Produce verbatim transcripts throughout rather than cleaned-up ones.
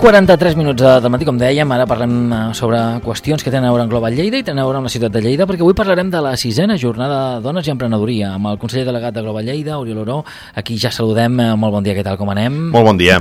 quaranta-tres minuts del matí, com dèiem, ara parlem sobre qüestions que tenen a veure amb Global Lleida i tenen a veure amb la ciutat de Lleida, perquè avui parlarem de la sisena jornada de dones i emprenedoria amb el conseller delegat de Global Lleida, Oriol Oró. Aquí ja saludem. Molt bon dia, què tal, com anem? Molt bon dia.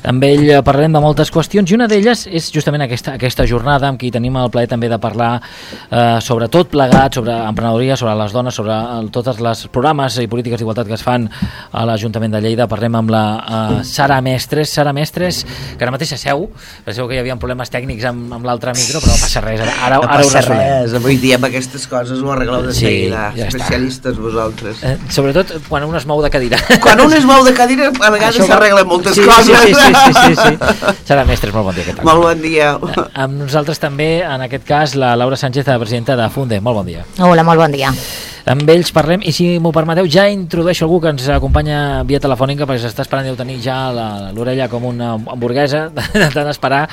Amb ell parlarem de moltes qüestions i una d'elles és justament aquesta, aquesta jornada amb qui tenim el plaer també de parlar eh, sobre tot plegat, sobre emprenedoria, sobre les dones, sobre el, tots els programes i polítiques d'igualtat que es fan a l'Ajuntament de Lleida. Parlem amb la eh, Sara Mestres, Sara Mestres, que ara mateix seu, penseu que hi havia problemes tècnics amb, amb l'altre micro, però no passa res, ara, ara, no ara passa ho resolem. Res, avui dia amb aquestes coses ho arregleu de sí, seguida, ja especialistes està. Vosaltres. Eh, sobretot quan un es mou de cadira. Quan un es mou de cadira, a vegades s'arreglen moltes sí, coses. Sí, sí, sí, sí, sí, sí. Sara Mestres, molt bon dia, què tal? Molt bon dia. Eh, amb nosaltres també, en aquest cas, la Laura Sánchez, la presidenta de Funde, molt bon dia. Hola, molt bon dia. Amb ells parlem, i si m'ho permeteu, ja introdueixo algú que ens acompanya via telefònica, perquè s'està esperant, deu tenir ja l'orella com una hamburguesa de tant esperar,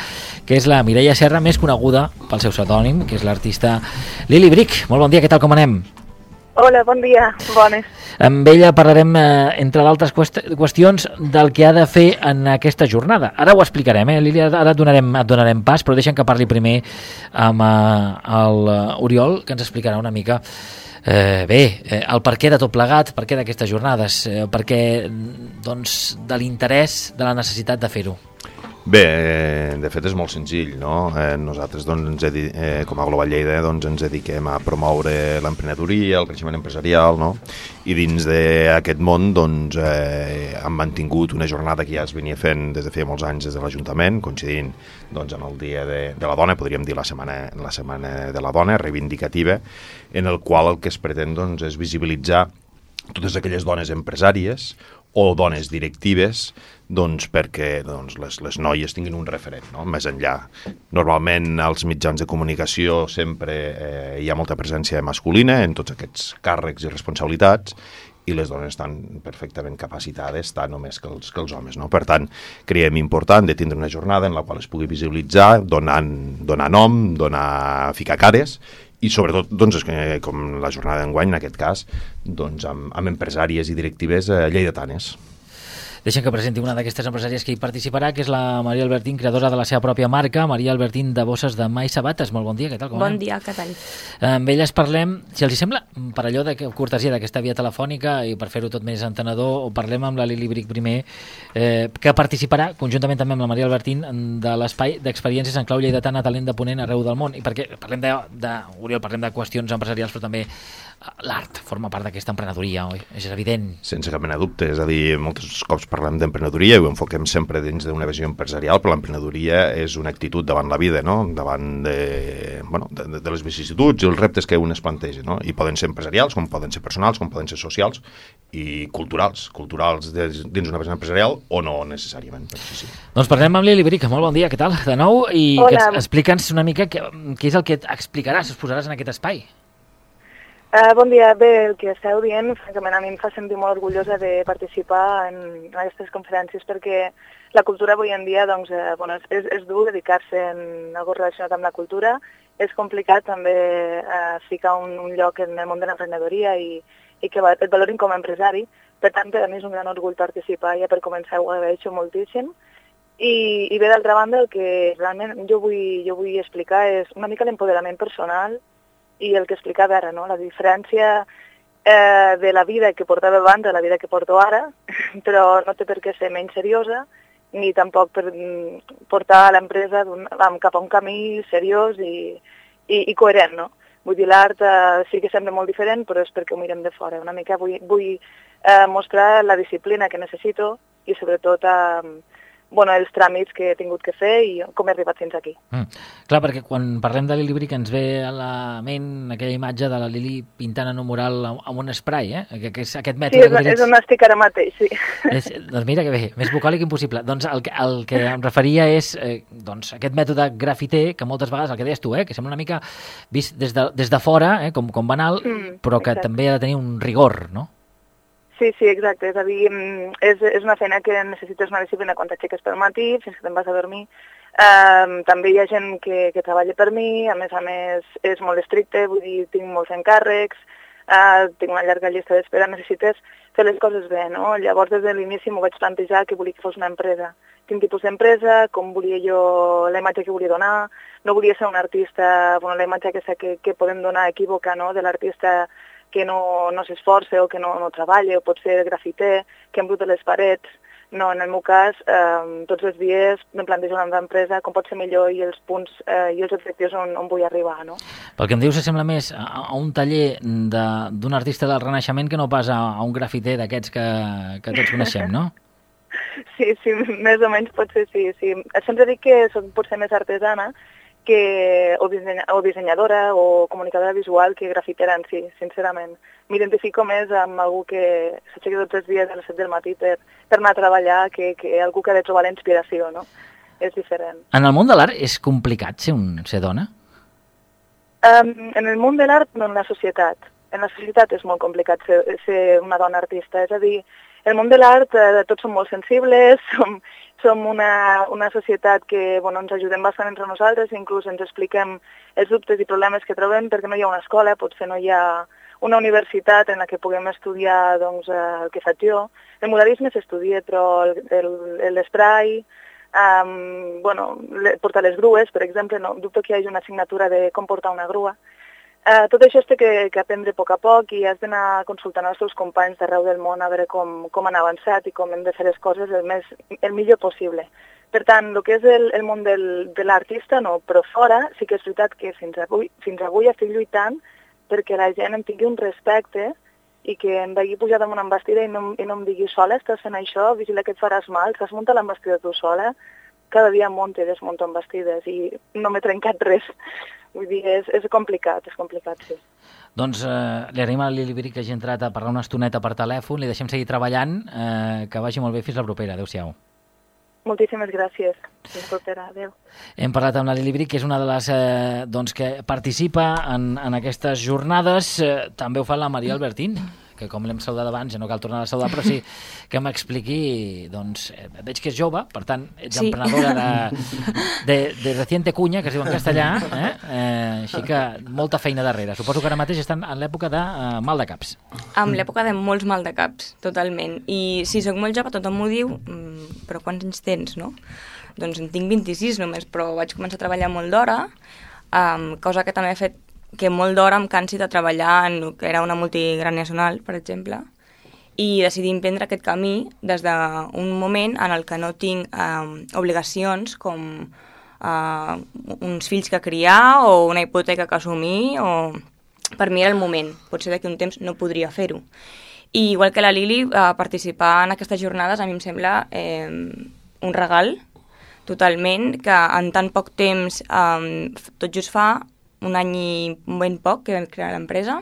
que és la Mireia Serra, més coneguda pel seu pseudònim, que és l'artista Lili Brick. Molt bon dia, què tal, com anem? Hola, bon dia, bones. Amb ella parlarem, eh, entre d'altres qüestions, del que ha de fer en aquesta jornada. Ara ho explicarem, eh? Lili, ara et donarem, et donarem pas, però deixem que parli primer amb eh, el Oriol, que ens explicarà una mica Eh, bé, eh, el perquè de tot plegat, per què d'aquestes jornades, eh, per què doncs, de l'interès, de la necessitat de fer-ho. Bé, eh, de fet és molt senzill, no? Eh, nosaltres, doncs, ens he, eh, com a Global Lleida, doncs, ens dediquem a promoure l'emprenedoria, el creixement empresarial, no? I dins d'aquest món, doncs, eh, hem mantingut una jornada que ja es venia fent des de feia molts anys des de l'Ajuntament, coincidint, doncs, amb el Dia de, de la Dona, podríem dir la setmana, la setmana de la Dona, reivindicativa, en el qual el que es pretén, doncs, és visibilitzar totes aquelles dones empresàries o dones directives, doncs perquè doncs, les, les noies tinguin un referent, no? Més enllà. Normalment als mitjans de comunicació sempre eh, hi ha molta presència masculina en tots aquests càrrecs i responsabilitats, i les dones estan perfectament capacitades, tant o més que els, que els homes, no? Per tant, creiem important de tindre una jornada en la qual es pugui visibilitzar, donant, donar nom, donar, ficar cares, i sobretot, doncs, com la jornada d'enguany, en aquest cas, doncs, amb, amb empresàries i directives eh, lleidatanes. Deixem que presenti una d'aquestes empresàries que hi participarà, que és la Maria Albertín, creadora de la seva pròpia marca, Maria Albertín de Bosses de Mà i Sabates. Molt bon dia, què tal? Com bon anem? dia, què tal? Amb elles parlem, si els hi sembla, per allò de cortesia d'aquesta via telefònica i per fer-ho tot més entenedor, parlem amb la Lili Brick primer, eh, que participarà conjuntament també amb la Maria Albertín de l'espai d'experiències en clau lleidatana, talent de ponent arreu del món. I perquè parlem de, de Oriol, parlem de qüestions empresarials, però també l'art forma part d'aquesta emprenedoria, oi? És evident. Sense cap mena de dubte, és a dir, molts cops parlem d'emprenedoria i ho enfoquem sempre dins d'una visió empresarial, però l'emprenedoria és una actitud davant la vida, no? Davant de, bueno, de, de les vicissituds i els reptes que un es planteja, no? I poden ser empresarials, com poden ser personals, com poden ser socials i culturals, culturals de, dins una persona empresarial o no necessàriament. Sí, sí. Doncs parlem amb Lili Brick, molt bon dia, què tal? De nou, i Hola. que explica'ns una mica què, què és el que explicaràs, es posaràs en aquest espai. Uh, bon dia. Bé, el que esteu dient, francament, a mi em fa sentir molt orgullosa de participar en, en aquestes conferències perquè la cultura avui en dia, doncs, eh, bueno, és, és dur dedicar-se en algo relacionat amb la cultura. És complicat també eh, ficar un, un lloc en el món de l'emprenedoria i, i que et valorin com a empresari. Per tant, per a mi és un gran orgull participar, ja per començar ho agraeixo moltíssim. I, i bé, d'altra banda, el que realment jo vull, jo vull explicar és una mica l'empoderament personal i el que explicava ara, no? La diferència eh, de la vida que portava abans a la vida que porto ara, però no té per què ser menys seriosa, ni tampoc per portar l'empresa cap a un camí seriós i, i, i coherent, no? Vull dir, l'art eh, sí que sembla molt diferent, però és perquè ho mirem de fora. Una mica vull, vull eh, mostrar la disciplina que necessito i sobretot eh, bueno, els tràmits que he tingut que fer i com he arribat fins aquí. Mm. Clar, perquè quan parlem de Lili Brick ens ve a la ment aquella imatge de la Lili pintant en un mural amb un spray, eh? Que, que és aquest mètode... Sí, és, és on estic ara mateix, sí. És, doncs mira que bé, més bucòlic impossible. Doncs el, el que em referia és eh, doncs, aquest mètode grafiter que moltes vegades, el que deies tu, eh, que sembla una mica vist des de, des de fora, eh, com, com banal, mm, però que exacte. També ha de tenir un rigor, no? Sí, sí, exacte. És a dir, és, és una feina que necessites una disciplina quan t'aixeques pel matí, fins que te'n vas a dormir. Um, també hi ha gent que, que treballa per mi, a més a més és molt estricte, vull dir, tinc molts encàrrecs, uh, tinc una llarga llista d'espera, necessites fer les coses bé, no? Llavors des de l'inici m'ho vaig plantejar que volia que fos una empresa quin tipus d'empresa, com volia jo, la imatge que volia donar. No volia ser un artista, bueno, la imatge aquesta que, que podem donar equívoca, no?, de l'artista que no, no s'esforça o que no, no treballa, o pot ser grafiter, que embruta les parets. No, en el meu cas, eh, tots els dies em plantejo una empresa com pot ser millor i els punts eh, i els objectius on, on vull arribar, no? Pel que em dius, sembla més a, a un taller d'un artista del Renaixement que no pas a, a un grafiter d'aquests que, que tots coneixem, no? Sí, sí, més o menys pot ser, sí, sí. Sempre dic que soc potser més artesana que, o, dissenya, o dissenyadora o comunicadora visual que grafitera en si, sincerament. M'identifico més amb algú que s'aixequi tots els dies a les set del matí per, per anar a treballar que, que algú que ha de trobar la inspiració, no? És diferent. En el món de l'art és complicat ser, un, ser dona? Um, en el món de l'art, no, en la societat. En la societat és molt complicat ser, ser una dona artista, és a dir, el món de l'art eh, tots som molt sensibles, som, som una, una societat que bueno, ens ajudem bastant entre nosaltres, inclús ens expliquem els dubtes i problemes que trobem perquè no hi ha una escola, potser no hi ha una universitat en la que puguem estudiar doncs, el que faig jo. El muralisme s'estudia, però l'esprai, um, bueno, portar les grues, per exemple, no dubto que hi hagi una assignatura de com portar una grua. Uh, tot això es té que, que aprendre a poc a poc i has d'anar consultant els teus companys d'arreu del món a veure com, com han avançat i com hem de fer les coses el, més, el millor possible. Per tant, el que és el, el món del, de l'artista, no, però fora sí que és veritat que fins avui, fins avui estic lluitant perquè la gent em tingui un respecte i que em vegi pujar damunt amb vestida i no, i no em digui sola, estàs fent això, vigila que et faràs mal, t'has muntat l'embestida tu sola, cada dia monto i desmonto embestides i no m'he trencat res. Vull dir, és, és complicat, és complicat, sí. Doncs eh, li agraïm a la Lili Bri que hagi entrat a parlar una estoneta per telèfon, li deixem seguir treballant, eh, que vagi molt bé, fins la propera, adéu-siau. Moltíssimes gràcies, fins la propera, adéu. Hem parlat amb la Lili Bri, que és una de les eh, doncs, que participa en, en aquestes jornades, eh, també ho fa la Maria Albertín, que com l'hem saludat abans, ja no cal tornar a saludar, però sí que m'expliqui, doncs, eh, veig que és jove, per tant, ets sí. emprenedora de, de, de reciente cuña, que es diu en castellà, eh? Eh, així que molta feina darrere. Suposo que ara mateix estan en l'època de uh, mal de caps. En l'època de molts mal de caps, totalment. I si sóc molt jove, tothom m'ho diu, però quants anys tens, no? Doncs en tinc vint-i-sis només, però vaig començar a treballar molt d'hora, um, cosa que també ha fet que molt d'hora em cansi de treballar en el que era una multigranacional, per exemple, i decidir emprendre aquest camí des d'un moment en el que no tinc eh, obligacions com eh, uns fills que criar o una hipoteca que assumir, o per mi era el moment. Potser d'aquí un temps no podria fer-ho. I igual que la Lili, eh, participar en aquestes jornades a mi em sembla eh, un regal, totalment, que en tan poc temps, eh, tot just fa un any i ben poc que vam crear l'empresa,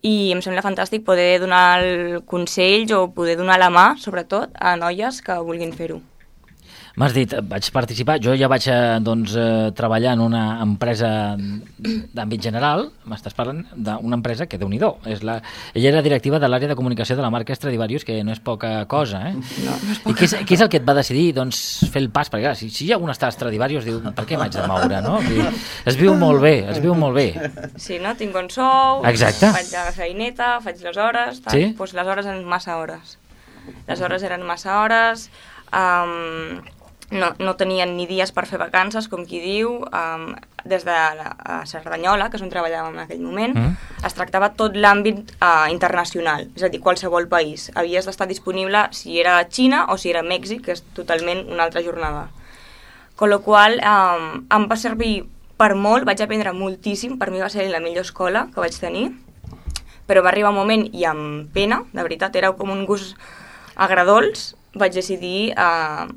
i em sembla fantàstic poder donar consells o poder donar la mà, sobretot, a noies que vulguin fer-ho. M'has dit, vaig participar, jo ja vaig doncs, eh, treballar en una empresa d'àmbit general, m'estàs parlant d'una empresa que, déu-n'hi-do, és la... ella era directiva de l'àrea de comunicació de la marca Stradivarius, que no és poca cosa, eh? No, no és poca. I què és, què és el que et va decidir doncs, fer el pas? Perquè clar, si, si hi ha un està a Stradivarius, diu, per què m'haig de moure, no? Es viu molt bé, es viu molt bé. Sí, no? Tinc bon sou, exacte. Faig la feineta, faig les hores, tal. Sí? Pues les hores eren massa hores. Les hores eren massa hores, um, no, no tenien ni dies per fer vacances, com qui diu, um, des de la Cerdanyola, que és on treballàvem en aquell moment, mm. es tractava tot l'àmbit uh, internacional, és a dir, qualsevol país. Havies d'estar disponible si era Xina o si era Mèxic, que és totalment una altra jornada. Con lo qual, um, em va servir per molt, vaig aprendre moltíssim, per mi va ser la millor escola que vaig tenir, però va arribar un moment, i amb pena, de veritat, era com un gust agradols, vaig decidir uh,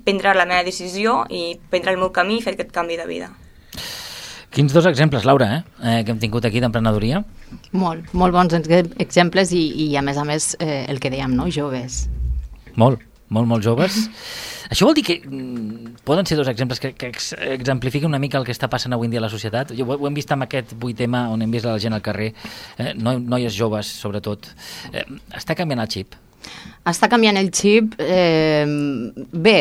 prendre la meva decisió i prendre el meu camí i fer aquest canvi de vida. Quins dos exemples, Laura, eh, eh, que hem tingut aquí d'emprenedoria? Molt, molt bons exemples i, i a més a més eh, el que dèiem, no? Joves. Molt, molt, molt joves. Això vol dir que mm, poden ser dos exemples que, que ex exemplifiquen una mica el que està passant avui en dia a la societat? Jo, ho, ho hem vist amb aquest vuit tema on hem vist la gent al carrer, eh, no, noies joves, sobretot. Eh, està canviant el xip? Està canviant el xip. Eh, bé,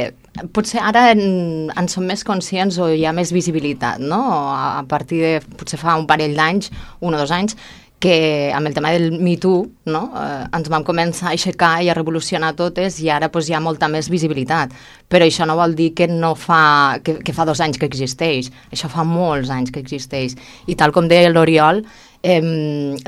potser ara en, en som més conscients o hi ha més visibilitat, no? A partir de, potser fa un parell d'anys, un o dos anys, que amb el tema del Me Too, no? eh, ens vam començar a aixecar i a revolucionar totes i ara pues, hi ha molta més visibilitat. Però això no vol dir que, no fa, que, que fa dos anys que existeix. Això fa molts anys que existeix. I tal com deia l'Oriol, eh,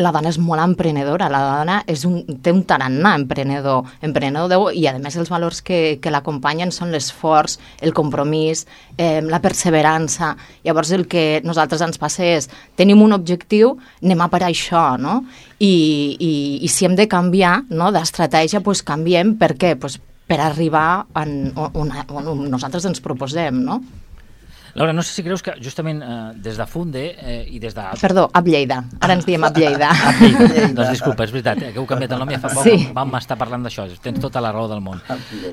la dona és molt emprenedora, la dona és un, té un tarannà emprenedor, emprenedor i a més els valors que, que l'acompanyen són l'esforç, el compromís, eh, la perseverança. Llavors el que a nosaltres ens passa és tenim un objectiu, anem a per això, no? I, i, i si hem de canviar, no, d'estratègia, doncs canviem. Per què? Pues per arribar on, on, on nosaltres ens proposem, no? Laura, no sé si creus que justament eh, des de Funde eh, i des de... Perdó, Ab Lleida. Ara ens diem Ab Lleida. Ab Lleida. Doncs disculpa, és veritat, eh, que heu canviat el nom i fa poc Sí. vam estar parlant d'això. Tens tota la raó del món.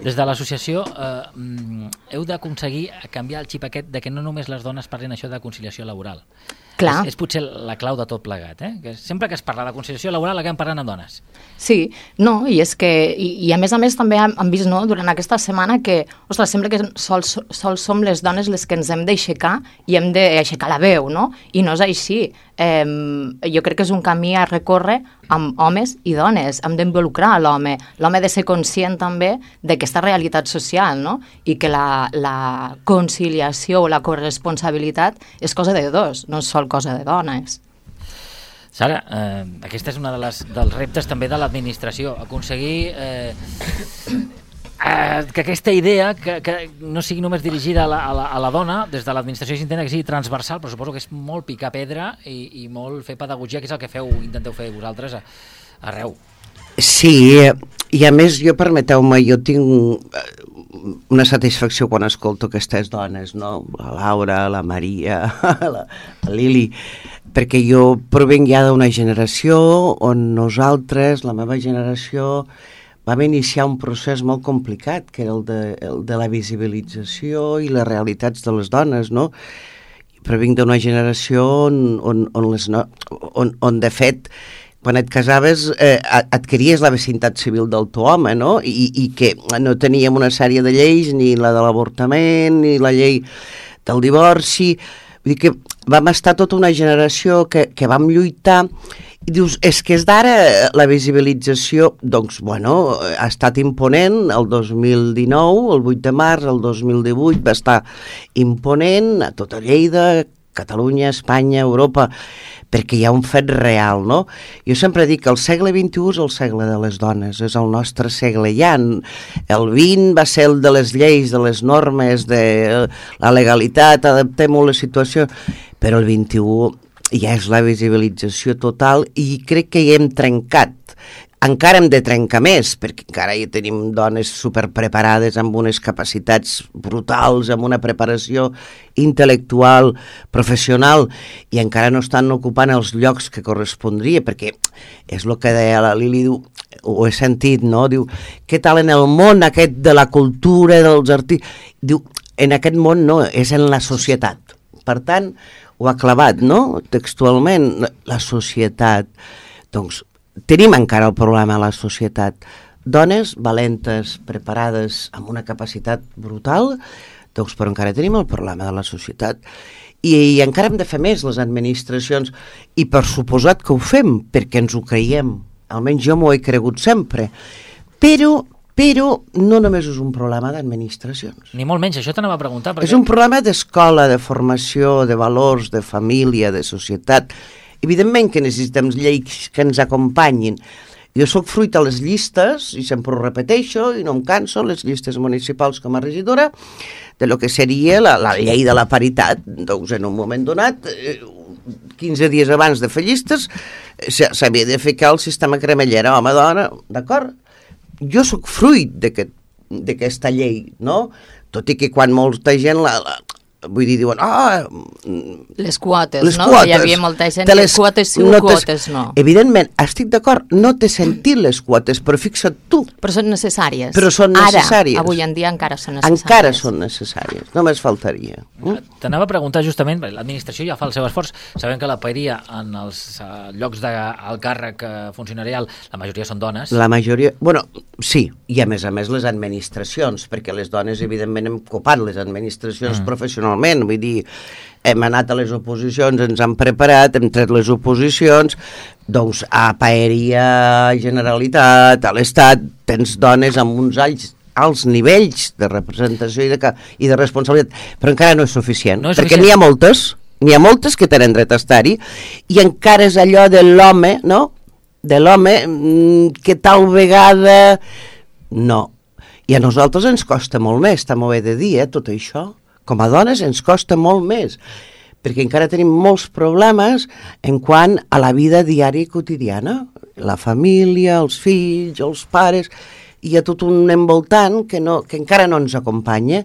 Des de l'associació eh, heu d'aconseguir canviar el xip aquest de que no només les dones parlin això de conciliació laboral. Clar. És, és potser la clau de tot plegat, eh? Que sempre que es parla de conciliació laboral acabem parlant amb dones. Sí, no, i és que, i, i a més a més també hem, hem vist, no, durant aquesta setmana que, ostres, sembla que sols, sols som les dones les que ens hem d'aixecar i hem d'aixecar la veu, no? I no és així. Eh, jo crec que és un camí a recórrer amb homes i dones. Hem d'involucrar l'home. L'home ha de ser conscient també d'aquesta realitat social, no? I que la, la conciliació o la corresponsabilitat és cosa de dos, no és sol cosa de dones. Sara, eh, aquesta és una de les, dels reptes també de l'administració, aconseguir eh, eh, que aquesta idea que, que no sigui només dirigida a la, a la, a la dona, des de l'administració s'intenta que sigui transversal, però suposo que és molt picar pedra i, i molt fer pedagogia, que és el que feu, intenteu fer vosaltres a, arreu. Sí, i a més, jo permeteu-me, jo tinc una satisfacció quan escolto aquestes dones, no? La Laura, la Maria, la, la Lili, perquè jo provenc ja d'una generació on nosaltres, la meva generació, vam iniciar un procés molt complicat, que era el de, el de la visibilització i les realitats de les dones, no? Provenc d'una generació on, on, on, les no, on, on de fet, quan et casaves eh, adquiries la vecindat civil del teu home, no? I, i que no teníem una sèrie de lleis, ni la de l'avortament, ni la llei del divorci. Vull dir que vam estar tota una generació que, que vam lluitar i dius, és que és d'ara la visibilització, doncs, bueno, ha estat imponent el dos mil dinou, el vuit de març, el dos mil divuit va estar imponent a tota Lleida, Catalunya, Espanya, Europa, perquè hi ha un fet real, no? Jo sempre dic que el segle vint-i-u és el segle de les dones, és el nostre segle ja. El vint va ser el de les lleis, de les normes, de la legalitat, adaptem-ho a la situació, però el vint-i-u ja és la visibilització total i crec que hi hem trencat. Encara hem de trencar més, perquè encara hi tenim dones superpreparades amb unes capacitats brutals, amb una preparació intel·lectual, professional, i encara no estan ocupant els llocs que correspondria, perquè és el que deia la Lili, diu, ho he sentit, no? Diu, què tal en el món aquest de la cultura, dels artistes? Diu, en aquest món no, és en la societat. Per tant, ho ha clavat, no? Textualment, la societat. Doncs, tenim encara el problema a la societat. Dones valentes, preparades, amb una capacitat brutal, doncs, però encara tenim el problema de la societat. I, i encara hem de fer més, les administracions, i per suposat que ho fem, perquè ens ho creiem. Almenys jo m'ho he cregut sempre. Però, però no només és un problema d'administracions. Ni molt menys, això t'anava a preguntar. Perquè... És un problema d'escola, de formació, de valors, de família, de societat. Evidentment que necessitem lleis que ens acompanyin. Jo sóc fruit a les llistes, i sempre ho repeteixo, i no em canso, les llistes municipals com a regidora, de lo que seria la, la llei de la paritat. Doncs en un moment donat, quinze dies abans de fer llistes, s'havia de ficar el sistema cremallera, home-dona, d'acord? Jo sóc fruit d'aquesta llei, no? Tot i que quan molta gent la... la vull dir, diuen, ah... Les quotes, les no? Quotes, que hi havia molta gent les, que quotes sí, no quotes no. Evidentment, estic d'acord, no t'he sentit les quotes, però fixa't tu. Però són necessàries. Però són necessàries. Ara, avui en dia encara són necessàries. Encara són necessàries, només faltaria. Mm? T'anava a preguntar justament, l'administració ja fa el seu esforç, sabem que la paeria en els uh, llocs d'alt càrrec uh, funcionarial, la majoria són dones. La majoria, bueno, sí, i a més a més les administracions, perquè les dones evidentment hem copat les administracions mm. professionals professionalment, vull dir, hem anat a les oposicions, ens han preparat, hem tret les oposicions, doncs a Paeria, a Generalitat, a l'Estat, tens dones amb uns alts, alts nivells de representació i de, i de responsabilitat, però encara no és suficient, no és perquè n'hi ha moltes, n'hi ha moltes que tenen dret a estar-hi, i encara és allò de l'home, no?, de l'home, que tal vegada... No. I a nosaltres ens costa molt més, també ho he de dir, eh, tot això. Com a dones ens costa molt més, perquè encara tenim molts problemes en quant a la vida diària i quotidiana. La família, els fills, els pares... Hi ha tot un envoltant que, no, que encara no ens acompanya.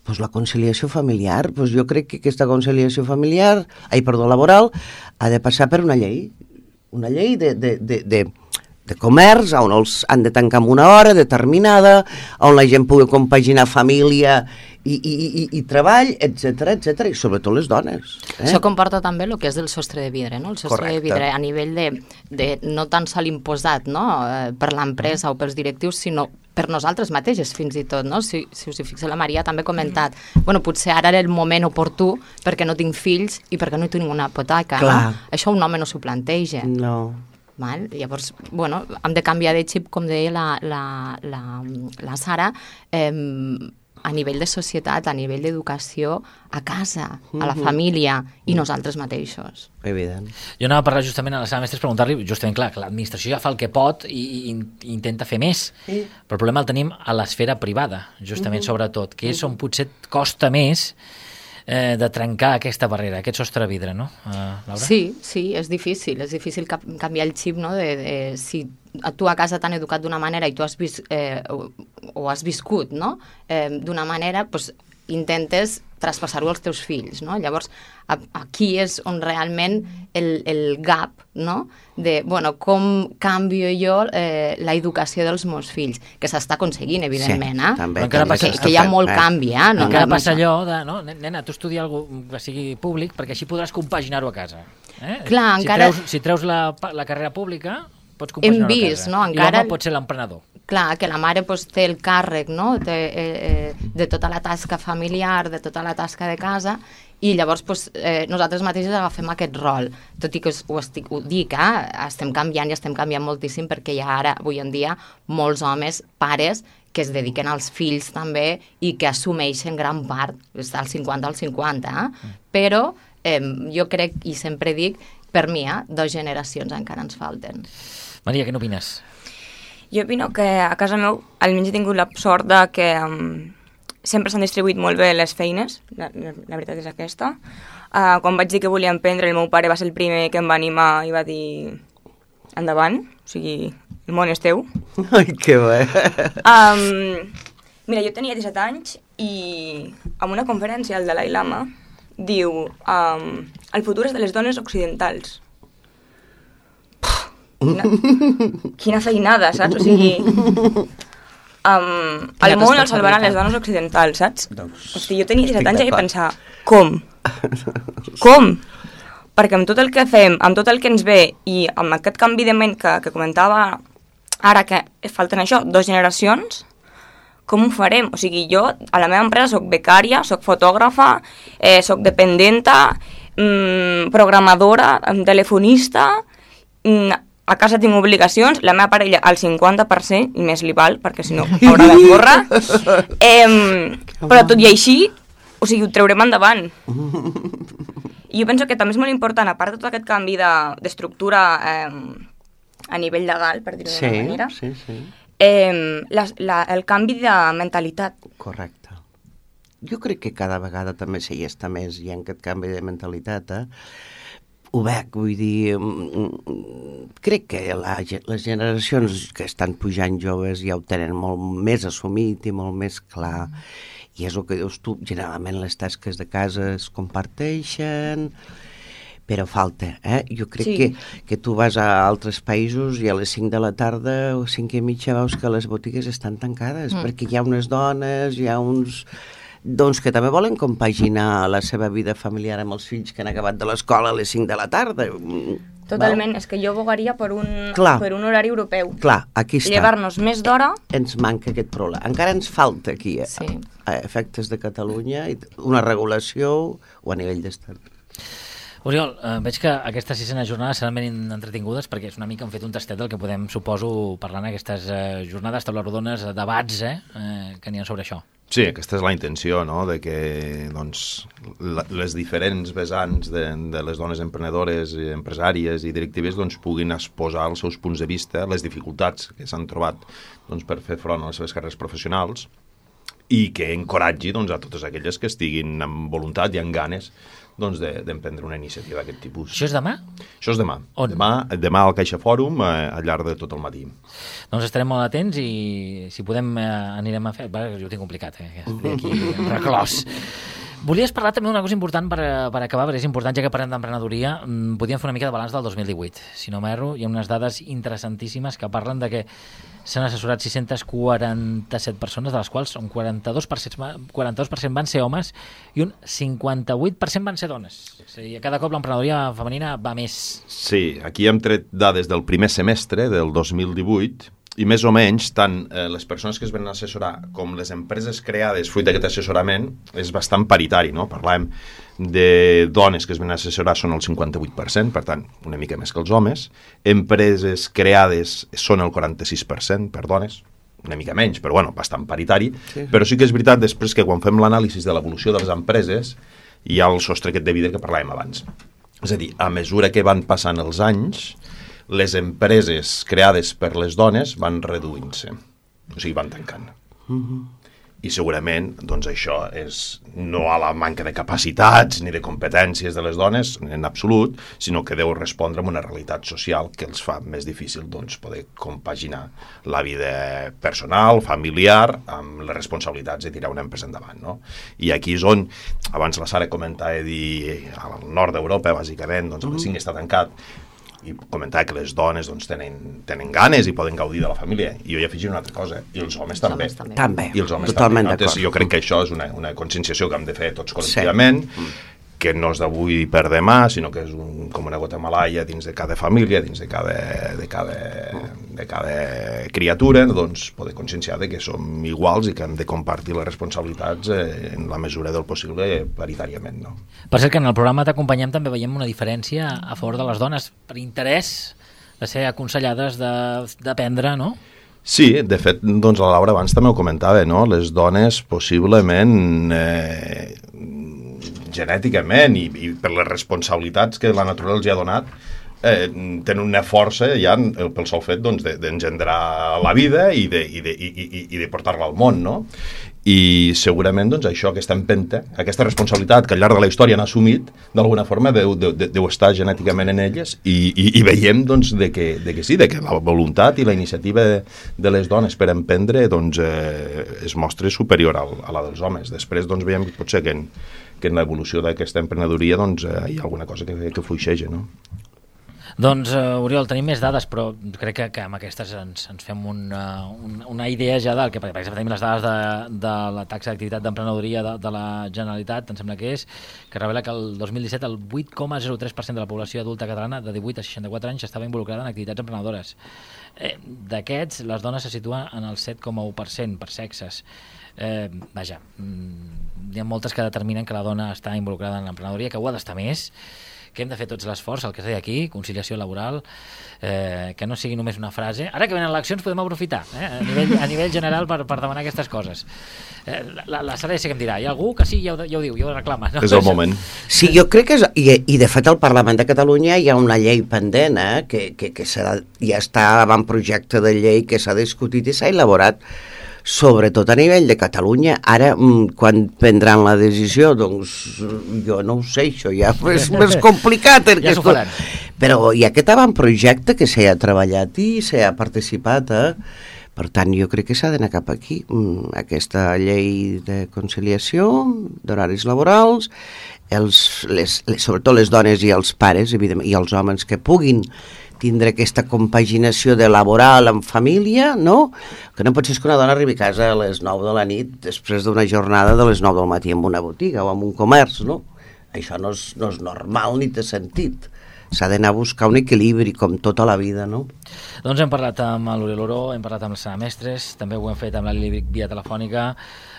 Pues la conciliació familiar, pues jo crec que aquesta conciliació familiar, ai, perdó, laboral, ha de passar per una llei. Una llei de, de, de, de, de comerç, on els han de tancar en una hora determinada, on la gent pugui compaginar família i, i, i, i treball, etcètera, etcètera, i sobretot les dones. Eh? Això comporta també el que és el sostre de vidre, no? El sostre Correcte. de vidre a nivell de, de no tan sol imposat, no?, eh, per l'empresa o pels directius, sinó per nosaltres mateixes, fins i tot, no? Si, si us hi fixeu, la Maria també ha comentat, bueno, potser ara era el moment oportú perquè no tinc fills i perquè no tinc una hipoteca, no? Això un home no s'ho planteja. No. Val? Llavors, bueno, hem de canviar de xip, com deia la, la, la, la Sara, eh, a nivell de societat, a nivell d'educació, a casa, a la família i nosaltres mateixos. Evident. Jo anava a parlar justament a la Sara Mestres, preguntar-li, justament, clar, que l'administració ja fa el que pot i, i, i intenta fer més, sí. Però el problema el tenim a l'esfera privada, justament, uh-huh. sobretot, que és on potser costa més eh, de trencar aquesta barrera, aquest sostre de vidre, no, uh, Laura? Sí, sí, és difícil, és difícil canviar el xip, no?, de, de si tu a casa t'han educat d'una manera i tu has vist, eh, o, o has viscut, no?, eh, d'una manera, doncs intentes traspassar-ho als teus fills, no? Llavors, a, aquí és on realment el, el gap, no?, de, bueno, com canvio jo eh, la educació dels meus fills, que s'està aconseguint, evidentment, sí, eh? també, que, també que, que hi ha molt eh? canvi, eh? No, encara passa allò de, no, nena, tu estudia alguna que sigui públic perquè així podràs compaginar-ho a casa. Eh? Clar, si encara... treus, si treus la, la carrera pública, pots compaginar-ho a casa. No? Encara... I l'home pot ser l'emprenedor. Clar, que la mare pues, té el càrrec, no?, de, eh, de tota la tasca familiar, de tota la tasca de casa, i llavors pues, eh, nosaltres mateixos agafem aquest rol. Tot i que ho, estic, ho dic, eh, estem canviant i estem canviant moltíssim perquè hi ha ara, avui en dia, molts homes, pares, que es dediquen als fills també i que assumeixen gran part, està al cinquanta al cinquanta, eh? Però eh, jo crec, i sempre dic, per mi, eh, dues generacions encara ens falten. Maria, què n'opines? Jo opino que a casa meu almenys he tingut la sort de que um, sempre s'han distribuït molt bé les feines, la, la, la veritat és aquesta. Uh, quan vaig dir que volia emprendre, el meu pare va ser el primer que em va animar i va dir endavant, o sigui, el món és teu. Ai, que bé! Um, mira, jo tenia disset anys i en una conferència el Dalai Lama diu um, el futur és de les dones occidentals. Quina, quina feinada, saps? O sigui, um, el món el salvaran les dones occidentals, saps? Hosti, jo tenia disset anys i pensar, com? Com? Perquè amb tot el que fem, amb tot el que ens ve i amb aquest canvi de ment que, que comentava ara que falten això, dues generacions, com ho farem? O sigui, jo a la meva empresa soc becària, soc fotògrafa, eh, soc dependenta, mmm, programadora, telefonista, mmm, a casa tinc obligacions, la meva parella al cinquanta per cent, i més li val, perquè si no haurà de córrer. Eh, però tot i així, o sigui, ho traurem endavant. I jo penso que també és molt important, a part de tot aquest canvi d'estructura eh, a nivell legal, per dir-ho sí, d'una manera, sí, sí. Eh, la, la, el canvi de mentalitat. Correcte. Jo crec que cada vegada també s'hi està més, hi ha aquest canvi de mentalitat, eh? Ho veig, vull dir, crec que la, les generacions que estan pujant joves ja ho tenen molt més assumit i molt més clar, i és el que dius tu, generalment les tasques de casa es comparteixen, però falta, eh? Jo crec sí. que, que tu vas a altres països i a les cinc de la tarda o cinc i mitja veus que les botigues estan tancades, mm. perquè hi ha unes dones, hi ha uns... doncs que també volen compaginar la seva vida familiar amb els fills que han acabat de l'escola a les cinc de la tarda. Totalment, val? És que jo abogaria per un, per un horari europeu. Clar, aquí està. Llevar-nos més d'hora... Ens manca aquest problema. Encara ens falta aquí, sí. a efectes de Catalunya, una regulació o a nivell d'estat. Oriol, eh, veig que aquestes sisena jornades seran ben entretingudes perquè és una mica hem fet un tastet del que podem, suposo, parlar en aquestes eh, jornades, taules rodones, debats eh, eh, que n'hi ha sobre això. Sí, aquesta és la intenció, no?, de que doncs, la, les diferents vessants de, de les dones emprenedores, empresàries i directives doncs, puguin exposar els seus punts de vista, les dificultats que s'han trobat doncs, per fer front a les seves carreres professionals i que encoratgi doncs, a totes aquelles que estiguin amb voluntat i amb ganes doncs, d'emprendre de, una iniciativa d'aquest tipus. Això és demà? Això és demà. On? Demà, demà al Caixa Fòrum, eh, al llarg de tot el matí. Doncs estarem molt atents i si podem eh, anirem a fer... Va, jo ho tinc complicat, eh, que estic aquí reclòs. Volies parlar també d'una cosa important per, per acabar, perquè és important, ja que parlem d'emprenedoria, podíem fer una mica de balanç del dos mil divuit. Si no m'erro, hi ha unes dades interessantíssimes que parlen de que s'han assessorat sis-centes quaranta-set persones, de les quals un quaranta-dos per cent, quaranta-dos per cent van ser homes i un cinquanta-vuit per cent van ser dones. És a dir, cada cop l'emprenedoria femenina va més. Sí, aquí hem tret dades del primer semestre del dos mil divuit i més o menys tant eh, les persones que es venen a assessorar com les empreses creades fruit d'aquest assessorament és bastant paritari, no? Parlem de dones que es venen a assessorar són el cinquanta-vuit per cent, per tant, una mica més que els homes. Empreses creades són el quaranta-sis per cent per dones, una mica menys, però bueno, bastant paritari. Sí. Però sí que és veritat després que quan fem l'anàlisi de l'evolució de les empreses hi ha el sostre aquest de vidre que parlàvem abans. És a dir, a mesura que van passant els anys, les empreses creades per les dones van reduint-se, o sigui, van tancant. Uh-huh. I segurament, doncs això és no a la manca de capacitats ni de competències de les dones, en absolut, sinó que deu respondre a una realitat social que els fa més difícil, doncs, poder compaginar la vida personal, familiar, amb les responsabilitats de tirar una empresa endavant, no? I aquí és on, abans la Sara comentava dir, al nord d'Europa, bàsicament, doncs el cinc està tancat, i comentar que les dones doncs, tenen, tenen ganes i poden gaudir de la família. I jo hi afegiré una altra cosa, i els homes els també. Homes també. I els homes totalment també. D'acord. Jo crec que això és una, una conscienciació que hem de fer tots col·lectivament, sí. que no és d'avui per demà, sinó que és un, com una gota malaia dins de cada família, dins de cada, de cada, de cada criatura, doncs poder conscienciar de que som iguals i que hem de compartir les responsabilitats eh, en la mesura del possible paritàriament. No? Per cert que en el programa t'acompanyem també veiem una diferència a favor de les dones per interès de ser aconsellades d'aprendre, no? Sí, de fet, doncs la Laura abans també ho comentava, no? Les dones possiblement eh, genèticament i, i per les responsabilitats que la naturalesa els ha donat eh, tenen una força ja pel sol fet doncs, d'engendrar la vida i de, i de, i, i, i de portar-la al món, no? I segurament doncs, això, aquesta empenta, aquesta responsabilitat que al llarg de la història han assumit, d'alguna forma deu, deu, deu estar genèticament en elles i, i, i veiem doncs, de, que, de que sí, de que la voluntat i la iniciativa de, de les dones per emprendre doncs, eh, es mostra superior al, a la dels homes. Després doncs, veiem potser que en, que en l'evolució d'aquesta emprenedoria doncs, eh, hi ha alguna cosa que, que fluixeja, no? Doncs, uh, Oriol, tenim més dades, però crec que, que amb aquestes ens, ens fem una, una, una idea ja del que, per exemple, tenim les dades de, de la taxa d'activitat d'emprenedoria de, de la Generalitat, em sembla que és, que revela que el dos mil disset el vuit coma zero tres per cent de la població adulta catalana de divuit a seixanta-quatre anys estava involucrada en activitats emprenedores. Eh, D'aquests, les dones se situen en el set coma u per cent per sexes. Eh, vaja, hi ha moltes que determinen que la dona està involucrada en l'emprenedoria, que ho ha d'estar més, que hem de fer tots l'esforç, el que es deia aquí, conciliació laboral, eh, que no sigui només una frase. Ara que venen eleccions podem aprofitar eh, a, nivell, a nivell general per, per demanar aquestes coses. Eh, la, la Sara ja sé que em dirà, hi ha algú que sí, ja ho, ja ho diu, ja ho reclama. No? És el moment. Sí, jo crec que és, i, i de fet al Parlament de Catalunya hi ha una llei pendent eh, que, que, que serà, ja està avant projecte de llei que s'ha discutit i s'ha elaborat sobretot a nivell de Catalunya. Ara, quan prendran la decisió, doncs jo no ho sé, això ja és més complicat. Ja s'ho faran. Però hi ha aquest avantprojecte que s'ha treballat i s'ha participat, eh? Per tant, jo crec que s'ha d'anar cap aquí. Aquesta llei de conciliació, d'horaris laborals, els, les, les, sobretot les dones i els pares, evidentment, i els homes que puguin tindre aquesta compaginació de laboral amb família, no? Que no pot ser que una dona arribi a casa a les nou de la nit després d'una jornada de les nou del matí en una botiga o en un comerç, no? Això no és, no és normal ni té sentit. s'ha d'anar a buscar un equilibri, com tota la vida, no? Doncs hem parlat amb l'Oriol Oró, hem parlat amb la Sana Mestres, també ho hem fet amb la Lili via telefònica,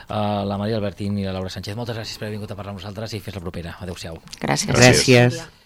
la Maria Albertín i la Laura Sánchez. Moltes gràcies per haver vingut a parlar amb nosaltres i fins la propera. Adéu-siau. Gràcies. Gràcies.